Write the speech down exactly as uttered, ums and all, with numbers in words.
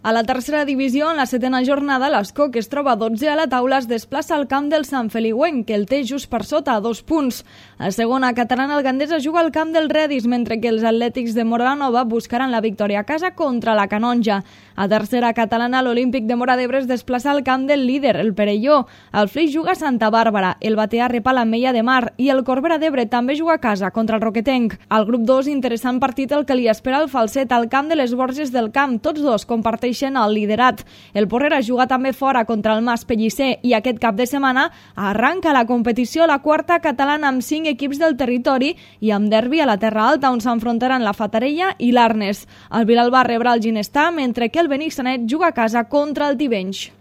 A la tercera divisió, en la setena jornada, l'Escó, que es troba dotze a la taula, es desplaça al camp del Sant Feliuenc, que el té just per sota, a dos punts. A segona catalana, el Gandesa juga al camp del Redis, mentre que els atlètics de Moranova buscaran la victòria a casa contra la Canonja. A tercera catalana, l'Olímpic de Móra d'Ebre es desplaça al camp del líder, el Perelló. El Flix juga a Santa Bàrbara, el Batea rep a l'Ametlla de Mar i el Corbera d'Ebre també juga a casa contra el Roquetenc. Al grup dos, interessant partit el que li espera el Falset al camp de les Borges del Camp. Tots dos comparteixen el liderat. El Porrera juga també fora contra el Mas Pellicer i aquest cap de setmana arranca la competició la quarta catalana amb cinc equips del territori i amb derbi a la Terra Alta, on s'enfrontaran la Fatarella i l'Arnes. El Vilalba rebrà el Ginestar, mentre que el Benissanet juga a casa contra el Tivenys.